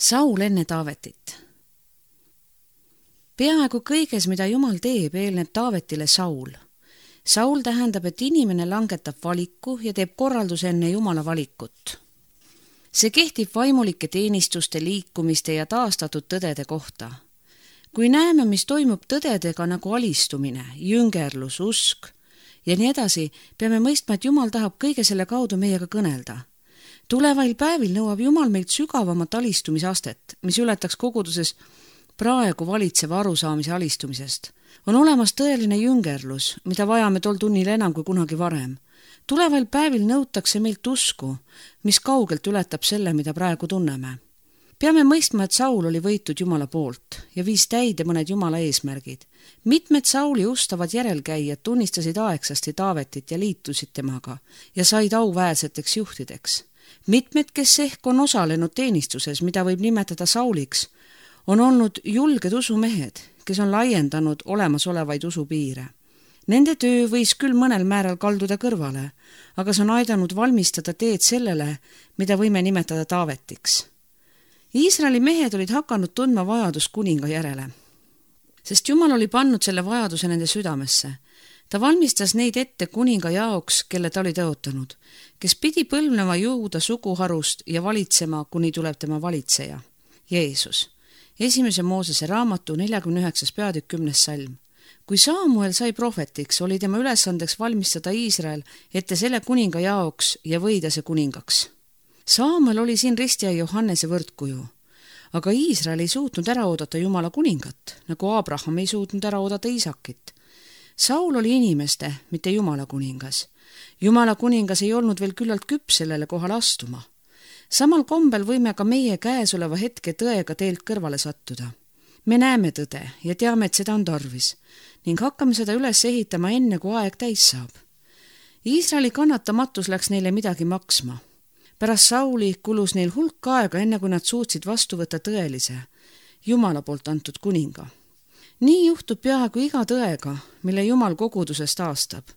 Saul enne Taavetit. Peaaegu kõiges, mida Jumal teeb, eelneb Taavetile Saul. Saul tähendab, et inimene langetab valiku ja teeb korralduse enne Jumala valikut. See kehtib vaimulike teenistuste, liikumiste ja taastatud tõdede kohta. Kui näeme, mis toimub tõdedega nagu alistumine, jüngerlus, usk ja nii edasi, peame mõistma, et Jumal tahab kõige selle kaudu meiega kõnelda. Tulevail päevil nõuab Jumal meilt sügavamat alistumisastet, mis ületaks koguduses praegu valitseva arusaamise alistumisest. On olemas tõeline jüngerlus, mida vajame tol tunnil enam kui kunagi varem. Tulevail päevil nõutakse meilt usku, mis kaugelt ületab selle, mida praegu tunneme. Peame mõistma, et Saul oli võitud Jumala poolt ja viis täide mõned Jumala eesmärgid. Mitmed Sauli ustavad järelkäijad tunnistasid aegsasti Taavetit ja liitusid temaga ja said auväärseteks juhtideks. Mitmed, kes ehk on osalenud teenistuses, mida võib nimetada Sauliks, on olnud julged usumehed, kes on laiendanud olemasolevaid usupiire. Nende töö võis küll mõnel määral kalduda kõrvale, aga see on aidanud valmistada teed sellele, mida võime nimetada Taavetiks. Iisraeli mehed olid hakanud tundma vajadust kuninga järele, sest Jumal oli pannud selle vajaduse nende südamesse. Ta valmistas neid ette kuninga jaoks, kelle ta oli tõotanud, kes pidi põlvneva Juuda suguharust ja valitsema, kuni tuleb tema valitseja, Jeesus. 1. Moosese raamatu 49. peatükk 10. salm. Kui Saamuel sai prohvetiks, oli tema ülesandeks valmistada Iisrael ette selle kuninga jaoks ja võida see kuningaks. Saamuel oli siin ristija Johannese võrdkuju, aga Iisrael ei suutnud ära oodata Jumala kuningat, nagu Abraham ei suutnud ära oodata Iisakit. Saul oli inimeste, mitte Jumala kuningas. Jumala kuningas ei olnud veel küllalt küps sellele kohale astuma. Samal kombel võime ka meie käesoleva hetke tõega teelt kõrvale sattuda. Me näeme tõde ja teame, et seda on tarvis ning hakkame seda üles ehitama enne, kui aeg täis saab. Iisraeli kannatamatus läks neile midagi maksma. Pärast Sauli kulus neil hulk aega, enne kui nad suutsid vastu võtta tõelise, Jumala poolt antud kuninga. Nii juhtub peaaegu iga tõega, mille Jumal kogudusest aastab.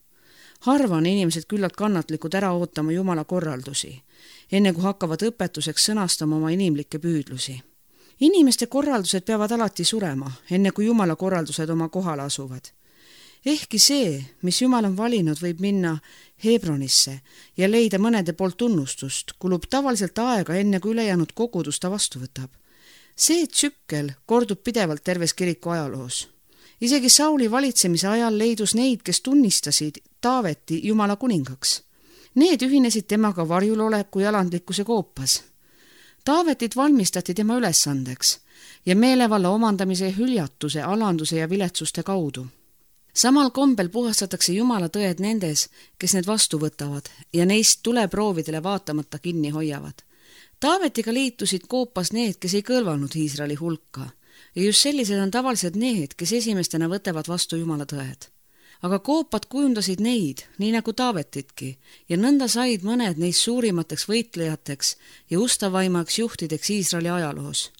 Harva on inimesed küllalt kannatlikud ära ootama Jumala korraldusi, enne kui hakkavad õpetuseks sõnastama oma inimlikke püüdlusi. Inimeste korraldused peavad alati surema, enne kui Jumala korraldused oma kohale asuvad. Ehkki see, mis Jumal on valinud, võib minna Hebronisse ja leida mõnede poolt tunnustust, kulub tavaliselt aega, enne kui ülejäänud kogudus ta vastu võtab. See tsükkel kordub pidevalt terves kiriku ajaloos. Isegi Sauli valitsemise ajal leidus neid, kes tunnistasid Taaveti Jumala kuningaks. Need ühinesid temaga varjuloleku ja alandlikkuse koopas. Taavetit valmistati tema ülesandeks ja meelevalla omandamise hüljatuse, alanduse ja viletsuste kaudu. Samal kombel puhastatakse Jumala tõed nendes, kes need vastu võtavad ja neist tuleproovidele vaatamata kinni hoiavad. Taavetiga liitusid koopas need, kes ei kõlvanud Iisraeli hulka ja just sellised on tavaliselt need, kes esimestena võtavad vastu Jumala tõed. Aga koopad kujundasid neid, nii nagu Taavetitki, ja nõnda said mõned neist suurimateks võitlejateks ja ustavaimaks juhtideks Iisraeli ajaloos.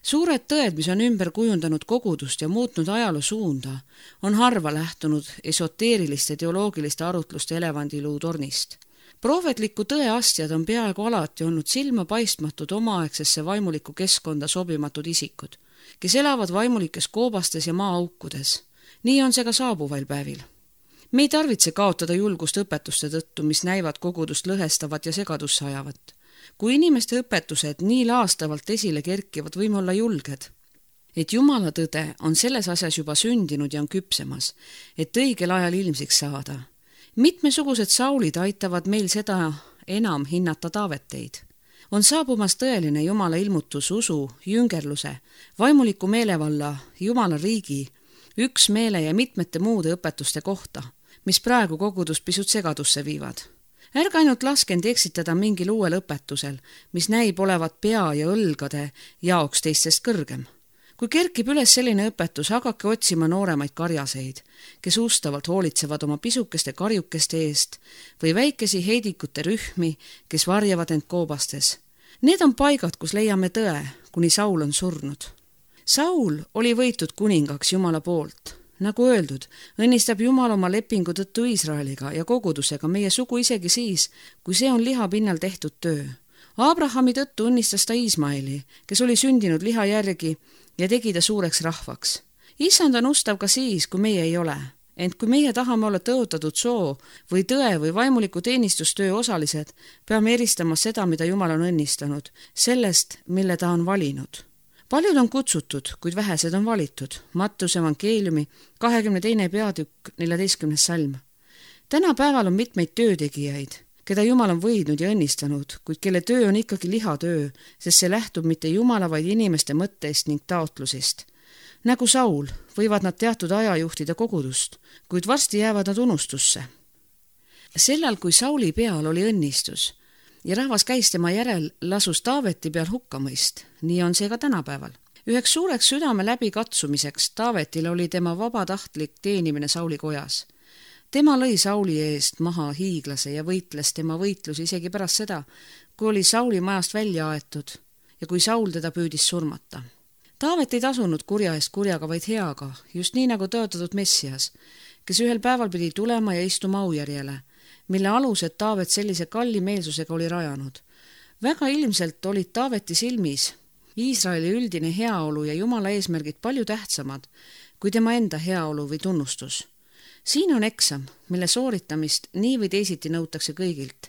Suured tõed, mis on ümber kujundanud kogudust ja muutnud ajaloo suunda, on harva lähtunud esoteeriliste teoloogiliste arutluste elevandiluu tornist. Prohvetliku tõe astjad on peaaegu alati olnud silma paistmatud omaaegsesse vaimulikku keskkonda sobimatud isikud, kes elavad vaimulikes koobastes ja maaaukudes. Nii on see ka saabuvail päevil. Me ei tarvitse kaotada julgust õpetuste tõttu, mis näivad kogudust lõhestavat ja segadusse ajavat. Kui inimeste õpetused nii laastavalt esile kerkivad, võime olla julged, et Jumala tõde on selles asjas juba sündinud ja on küpsemas, et õigel ajal ilmsiks saada. Mitmesugused Saulid aitavad meil seda enam hinnata Taaveteid. On saabumas tõeline Jumala ilmutus usu, jüngerluse, vaimuliku meelevalla, Jumala riigi, üksmeele ja mitmete muude õpetuste kohta, mis praegu kogudust pisut segadusse viivad. Ärge ainult laskend eksitada mingil uuel õpetusel, mis näib olevat pea ja õlgade jaoks teistest kõrgem. Kui kerkib üles selline õpetus, hakake otsima nooremaid karjaseid, kes ustavalt hoolitsevad oma pisukeste karjukeste eest või väikesi heidikute rühmi, kes varjavad end koobastes. Need on paigad, kus leiame tõe, kuni Saul on surnud. Saul oli võitud kuningaks Jumala poolt. Nagu öeldud, õnnistab Jumal oma lepingu tõttu Iisraeliga ja kogudusega meie sugu isegi siis, kui see on liha pinnal tehtud töö. Abrahami tõttu õnnistas ta Iismaeli, kes oli sündinud liha järgi ja tegi ta suureks rahvaks. Issand on ustav ka siis, kui meie ei ole. Ent kui meie tahame olla tõotatud soo või tõe või vaimuliku teenistustöö osalised, peame eristama seda, mida Jumal on õnnistanud, sellest, mille ta on valinud. Paljud on kutsutud, kuid vähesed on valitud. Mattuse evangeeliumi 22. peatükk 14. salm. Tänapäeval on mitmeid töötegijaid, keda Jumal on võidnud ja õnnistanud, kuid kelle töö on ikkagi lihatöö, sest see lähtub mitte Jumala, vaid inimeste mõttest ning taotlusest. Nagu Saul võivad nad teatud aja juhtida kogudust, kuid varsti jäävad nad unustusse. Sellal, kui Sauli peal oli õnnistus ja rahvas käis tema järel, lasus Taaveti peal hukkamõist. Nii on see ka tänapäeval. Üheks suureks südame läbikatsumiseks Taavetile oli tema vabatahtlik teenimine Sauli kojas. Tema lõi Sauli eest maha hiiglase ja võitles tema võitlusi isegi pärast seda, kui oli Sauli majast välja aetud ja kui Saul teda püüdis surmata. Taavet ei tasunud kurja eest kurjaga, vaid heaga, just nii nagu tõotatud Messias, kes ühel päeval pidi tulema ja istuma aujärjele, mille alused Taavet sellise kalli meelsusega oli rajanud. Väga ilmselt olid Taaveti silmis Iisraeli üldine heaolu ja Jumala eesmärgid palju tähtsamad kui tema enda heaolu või tunnustus. Siin on eksam, mille sooritamist nii või teisiti nõutakse kõigilt,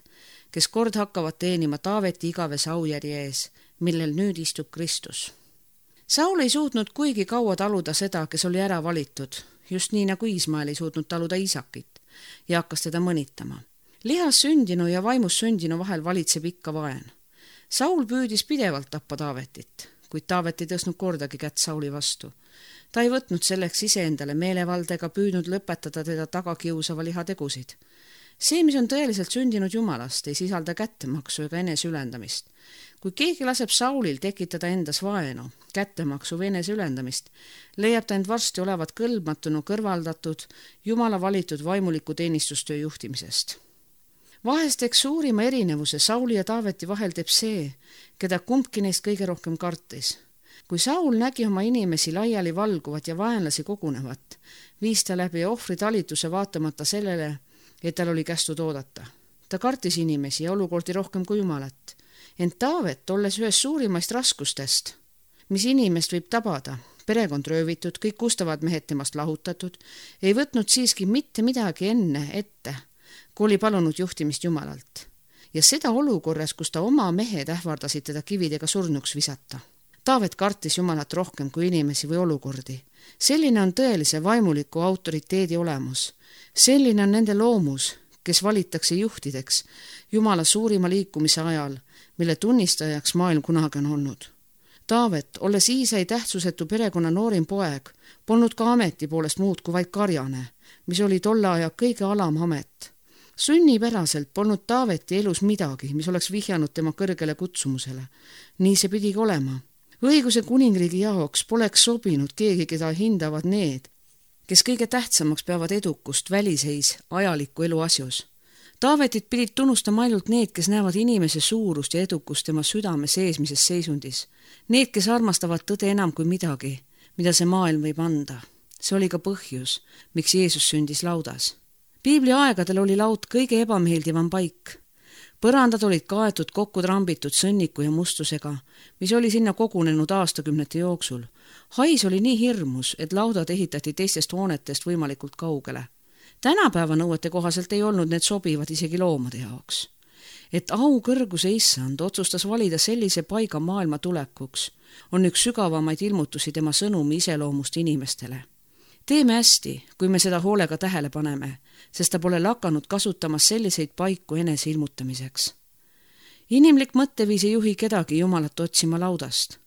kes kord hakkavad teenima Taaveti igavese aujärje ees, millel nüüd istub Kristus. Saul ei suutnud kuigi kaua taluda seda, kes oli ära valitud, just nii nagu Iismael ei suutnud taluda Iisakit ja hakkas teda mõnitama. Lihas sündinu ja vaimus sündinu vahel valitseb ikka vaen. Saul püüdis pidevalt tappa Taavetit, kuid Taavet ei tõstnud kordagi kätt Sauli vastu. Ta ei võtnud selleks iseendale meelevalda ega püüdnud lõpetada teda tagakiusava lihategusid. See, mis on tõeliselt sündinud Jumalast, ei sisalda kättemaksu ega eneseülendamist. Kui keegi laseb Saulil tekitada endas vaenu, kättemaksu või eneseülendamist, leiab ta end varsti olevat kõlbmatuna kõrvaldatud Jumala valitud vaimuliku teenistustöö juhtimisest. Vahest eks suurima erinevuse Sauli ja Taaveti vahel teeb see, keda kumbki neist kõige rohkem kartis. Kui Saul nägi oma inimesi laiali valguvat ja vaenlasi kogunevat, viis ta läbi ohvritalituse vaatamata sellele, et tal oli kästud oodata. Ta kartis inimesi ja olukordi rohkem kui Jumalat. Ent Taavet, olles ühes suurimaist raskustest, mis inimest võib tabada, perekond röövitud, kõik ustavad mehed temast lahutatud, ei võtnud siiski mitte midagi enne ette, kui oli palunud juhtimist Jumalalt. Ja seda olukorras, kus ta oma mehed ähvardasid teda kividega surnuks visata. Taavet kartis Jumalat rohkem kui inimesi või olukordi. Selline on tõelise vaimuliku autoriteedi olemus. Selline on nende loomus, kes valitakse juhtideks Jumala suurima liikumise ajal, mille tunnistajaks maailm kunagi on olnud. Taavet, olles Iisai tähtsusetu perekonna noorim poeg, polnud ka ameti poolest muud kui vaid karjane, mis oli tolle aja kõige alam amet. Sünnipäraselt polnud Taaveti elus midagi, mis oleks vihjanud tema kõrgele kutsumusele. Nii see pidigi olema. Õiguse kuningriigi jaoks poleks sobinud keegi, keda hindavad need, kes kõige tähtsamaks peavad edukust väliseis ajaliku elu asjus. Taavetit pidid tunnustama ainult need, kes näevad inimese suurust ja edukust tema südame seesmises seisundis. Need, kes armastavad tõde enam kui midagi, mida see maailm võib anda. See oli ka põhjus, miks Jeesus sündis laudas. Piibli aegadel oli laud kõige ebameeldivam paik. Põrandad olid kaetud kokku trambitud sõnniku ja mustusega, mis oli sinna kogunenud aastakümnete jooksul. Hais oli nii hirmus, et laudad ehitati teistest hoonetest võimalikult kaugele. Tänapäeva nõuete kohaselt ei olnud need sobivad isegi loomade jaoks. Et au kõrguse issand otsustas valida sellise paiga maailma tulekuks, on üks sügavamaid ilmutusi tema sõnumi iseloomust inimestele. Teeme hästi, kui me seda hoolega tähele paneme, sest ta pole lakanud kasutamas selliseid paiku enese ilmutamiseks. Inimlik mõtteviis ei juhi kedagi Jumalat otsima laudast.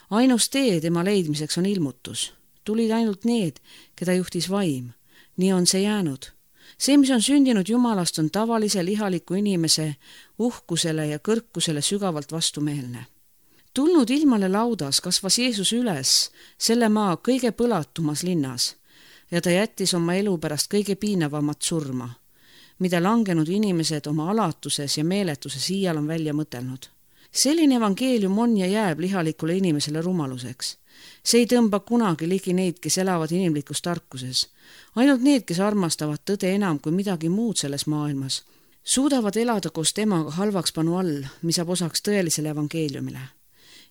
Ainus tee tema leidmiseks on ilmutus. Tulid ainult need, keda juhtis vaim. Nii on see jäänud. See, mis on sündinud Jumalast, on tavalise lihaliku inimese uhkusele ja kõrkusele sügavalt vastumeelne. Tulnud ilmale laudas kasvas Jeesus üles selle maa kõige põlatumas linnas ja ta jättis oma elu pärast kõige piinavamat surma, mida langenud inimesed oma alatuses ja meeletuses iial on välja mõtelnud. Selline evangeelium on ja jääb lihalikule inimesele rumaluseks. See ei tõmba kunagi ligi neid, kes elavad inimlikus tarkuses. Ainult need, kes armastavad tõde enam kui midagi muud selles maailmas, suudavad elada koos temaga halvakspanu all, mis saab osaks tõelisele evangeeliumile.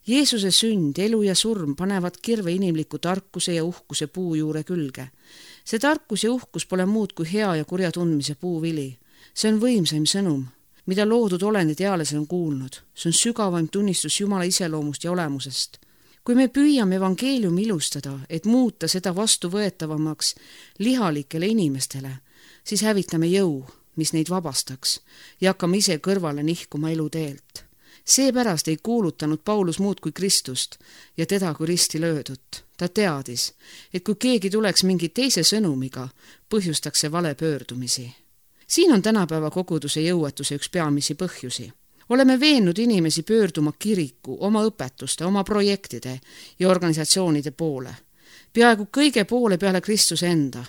Jeesuse sünd, elu ja surm panevad kirve inimliku tarkuse ja uhkuse puu juure külge. See tarkus ja uhkus pole muud kui hea ja kurja tundmise puuvili. See on võimsaim sõnum, mida loodud olendid eales on kuulnud. See on sügavaim tunnistus Jumala iseloomust ja olemusest. Kui me püüame evangeeliumi ilustada, et muuta seda vastuvõetavamaks lihalikele inimestele, siis hävitame jõu, mis neid vabastaks, ja hakkame ise kõrvale nihkuma eluteelt. Seepärast ei kuulutanud Paulus muud kui Kristust ja teda kui risti löödut. Ta teadis, et kui keegi tuleks mingi teise sõnumiga, põhjustaks see vale pöördumisi. Siin on tänapäeva koguduse jõuetuse üks peamisi põhjusi. Oleme veennud inimesi pöörduma kiriku, oma õpetuste, oma projektide ja organisatsioonide poole. Peaaegu kõige poole peale Kristuse enda.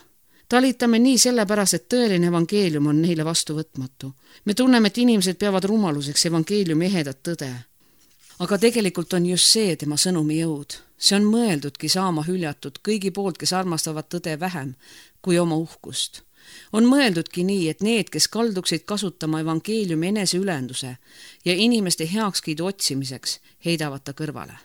Talitame nii sellepärast, et tõeline evangeelium on neile vastuvõtmatu. Me tunneme, et inimesed peavad rumaluseks evangeeliumi ehedat tõde. Aga tegelikult on just see tema sõnumi jõud. See on mõeldudki saama hüljatud kõigi poolt, kes armastavad tõde vähem kui oma uhkust. On mõeldudki nii, et need, kes kalduksid kasutama evangeeliumi eneseülenduse ja inimeste heakskiidu otsimiseks, heidavad ta kõrvale.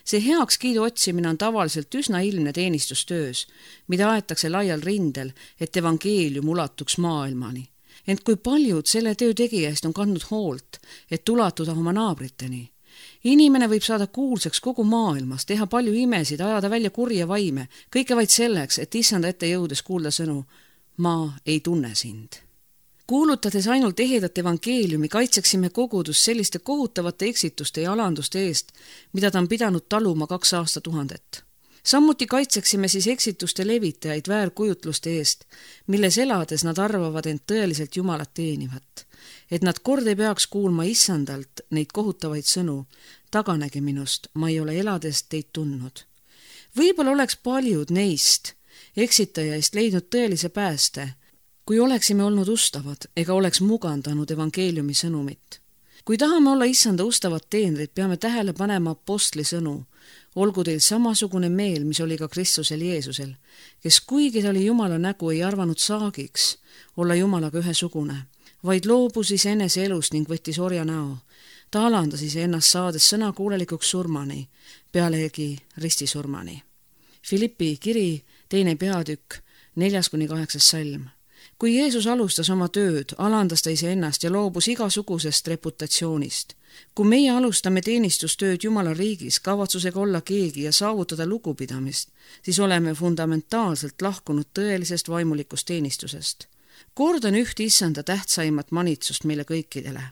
See heakskiidu otsimine on tavaliselt üsna ilmne teenistustöös, mida aetakse laial rindel, et evangeelium ulatuks maailmani. Ent kui paljud selle töö tegijaist on kandnud hoolt, et ulatuda oma naabriteni. Inimene võib saada kuulsaks kogu maailmas, teha palju imesid, ajada välja kurja vaime, kõike vaid selleks, et issanda ette jõudes kuulda sõnu, ma ei tunne sind. Kuulutades ainult ehedat evangeeliumi, kaitseksime kogudust selliste kohutavate eksituste ja alanduste eest, mida ta on pidanud taluma 2 aastatuhandet. Samuti kaitseksime siis eksituste levitajaid väärkujutluste eest, milles elades nad arvavad end tõeliselt Jumalat teenivat. Et nad kord ei peaks kuulma issandalt neid kohutavaid sõnu, taganege minust, ma ei ole elades teid tundnud. Võib-olla oleks paljud neist eksitajaist leidnud tõelise pääste, kui oleksime olnud ustavad ega oleks mugandanud evangeeliumi sõnumit. Kui tahame olla issanda ustavad teenrid, peame tähele panema apostli sõnu. Olgu teil samasugune meel, mis oli ka Kristusel Jeesusel, kes kuigi ta oli Jumala nägu, ei arvanud saagiks olla Jumalaga ühesugune, vaid loobus iseenese elust ning võttis orja näo. Ta alandas iseennast saades sõnakuulelikuks surmani, pealegi ristisurmani. Filippi kiri, 2. peatükk, 4-8 salm. Kui Jeesus alustas oma tööd, alandas ta iseennast ja loobus igasugusest reputatsioonist. Kui meie alustame teenistustööd Jumala riigis kavatsusega olla keegi ja saavutada lugupidamist, siis oleme fundamentaalselt lahkunud tõelisest vaimulikust teenistusest. Kordan üht issanda tähtsaimat manitsust meile kõikidele.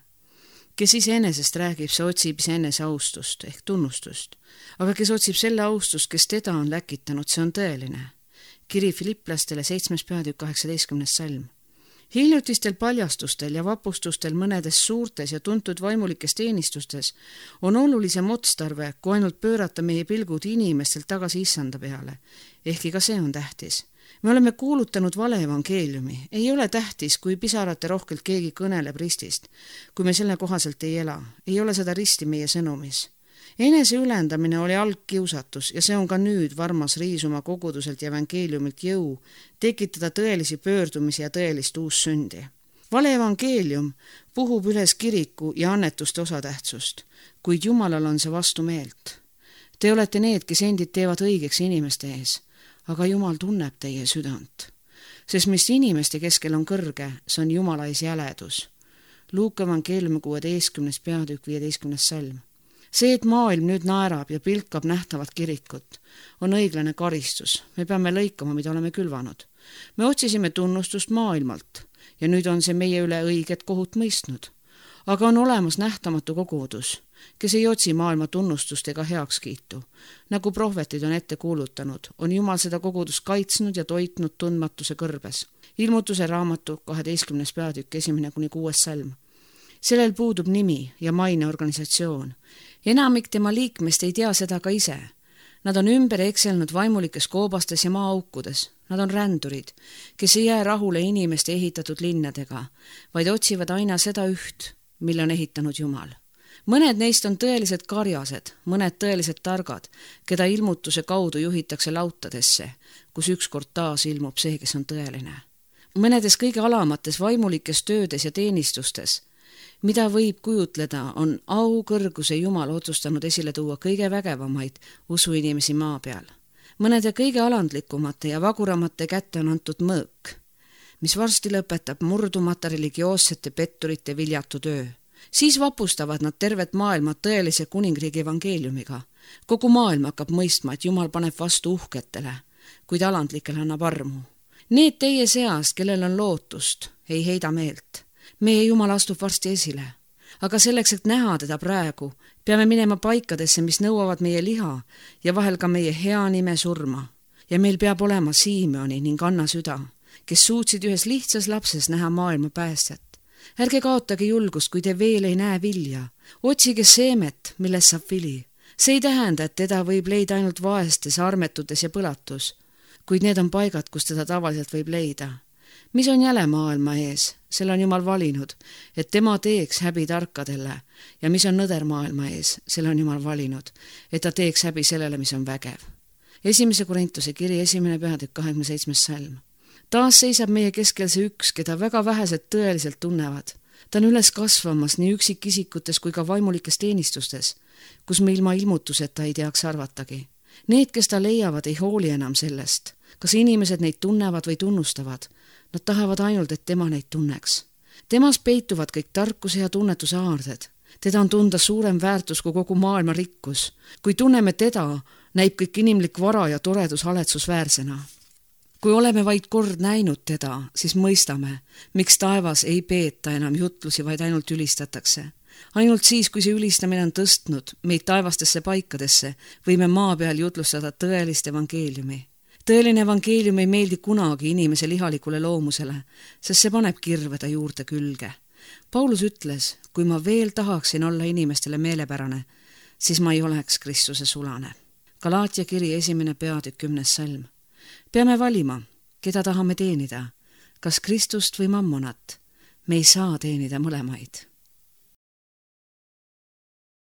Kes iseenesest räägib, see otsib iseenese austust ehk tunnustust, aga kes otsib selle austust, kes teda on läkitanud, see on tõeline. Kiri Filiplastele 7. peatükk 18. salm. Hiljutistel paljastustel ja vapustustel mõnedes suurtes ja tuntud vaimulikes teenistustes on olulisem otstarve, kui ainult pöörata meie pilgud inimestelt tagasi issanda peale. Ehkki ka see on tähtis. Me oleme kuulutanud vale evangeeliumi. Ei ole tähtis, kui pisarate rohkelt keegi kõneleb ristist. Kui me selle kohaselt ei ela, ei ole seda risti meie sõnumis. Enese ülendamine oli algkiusatus ja see on ka nüüd varmas riisuma koguduselt ja evangeeliumilt jõu, tekitada tõelisi pöördumisi ja tõelist uussündi. Vale evangeelium puhub üles kiriku ja annetuste osatähtsust, kuid Jumalal on see vastumeelt. Te olete need, kes endid teevad õigeks inimeste ees, aga Jumal tunneb teie südant. Sest mis inimeste keskel on kõrge, see on Jumala ees jäledus. Luuka evangeeliumi 16. peatükk 15. salm. See, et maailm nüüd naerab ja pilkab nähtavat kirikut, on õiglane karistus. Me peame lõikama, mida oleme külvanud. Me otsisime tunnustust maailmalt ja nüüd on see meie üle õiget kohut mõistnud. Aga on olemas nähtamatu kogudus, kes ei otsi maailma tunnustust ega heakskiitu. Nagu prohvetid on ette kuulutanud, on Jumal seda kogudust kaitsnud ja toitnud tundmatuse kõrbes. Ilmutuse raamatu 12. peatükk 1-6 salm. Sellel puudub nimi ja maine organisatsioon. Enamik tema liikmest ei tea seda ka ise. Nad on ümber ekselnud vaimulikes koobastes ja maaaukudes. Nad on rändurid, kes ei jää rahule inimeste ehitatud linnadega, vaid otsivad aina seda üht, mille on ehitanud Jumal. Mõned neist on tõelised karjased, mõned tõelised targad, keda ilmutuse kaudu juhitakse lautadesse, kus ükskord taas ilmub see, kes on tõeline. mõnedes kõige alamates vaimulikes töödes ja teenistustes, mida võib kujutleda, on au kõrguse Jumal otsustanud esile tuua kõige vägevamaid usuinimesi maa peal. Mõnede kõige alandlikumate ja vaguramate kätte on antud mõõk, mis varsti lõpetab murdumata religioossete petturite viljatu töö. Siis vapustavad nad tervet maailma tõelise kuningriigi evangeeliumiga. Kogu maailm hakkab mõistma, et Jumal paneb vastu uhketele, kuid alandlikele annab armu. Need teie seast, kellel on lootust, ei heida meelt. Meie Jumal astub varsti esile. Aga selleks, et näha teda praegu, peame minema paikadesse, mis nõuavad meie liha ja vahel ka meie hea nime surma. Ja meil peab olema Siimoni ning Anna süda, kes suutsid ühes lihtsas lapses näha maailma päästjat. Ärge kaotage julgust, kui te veel ei näe vilja. Otsige seemet, millest saab vili. See ei tähenda, et teda võib leida ainult vaestes, armetutes ja põlatus, kuid need on paigad, kus teda tavaliselt võib leida. Mis on jäle maailma ees, selle on Jumal valinud, et tema teeks häbi tarkadele, ja mis on nõder maailma ees, selle on Jumal valinud, et ta teeks häbi sellele, mis on vägev. 1. Korintuse kiri 1. peatükk 27. salm. Taas seisab meie keskel see üks, keda väga vähesed tõeliselt tunnevad. Ta on üles kasvamas nii üksikisikutes kui ka vaimulikes teenistustes, kus me ilma ilmutuseta ei teaks arvatagi. Need, kes ta leiavad, ei hooli enam sellest, kas inimesed neid tunnevad või tunnustavad. Nad tahavad ainult, et tema neid tunneks. Temas peituvad kõik tarkuse ja tunnetuse aarded. Teda on tunda suurem väärtus kui kogu maailma rikkus. Kui tunneme teda, näib kõik inimlik vara ja toredus haletsusväärsena. Kui oleme vaid kord näinud teda, siis mõistame, miks taevas ei peeta enam jutlusi, vaid ainult ülistatakse. Ainult siis, kui see ülistamine on tõstnud meid taevastesse paikadesse, võime maa peal jutlustada tõelist evangeeliumi. Tõeline evangeelium ei meeldi kunagi inimese lihalikule loomusele, sest see paneb kirveda juurde külge. Paulus ütles, kui ma veel tahaksin olla inimestele meelepärane, siis ma ei oleks Kristuse sulane. Galaatia kiri 1. peatükk 10. salm. Peame valima, keda tahame teenida, kas Kristust või mammonat. Me ei saa teenida mõlemaid.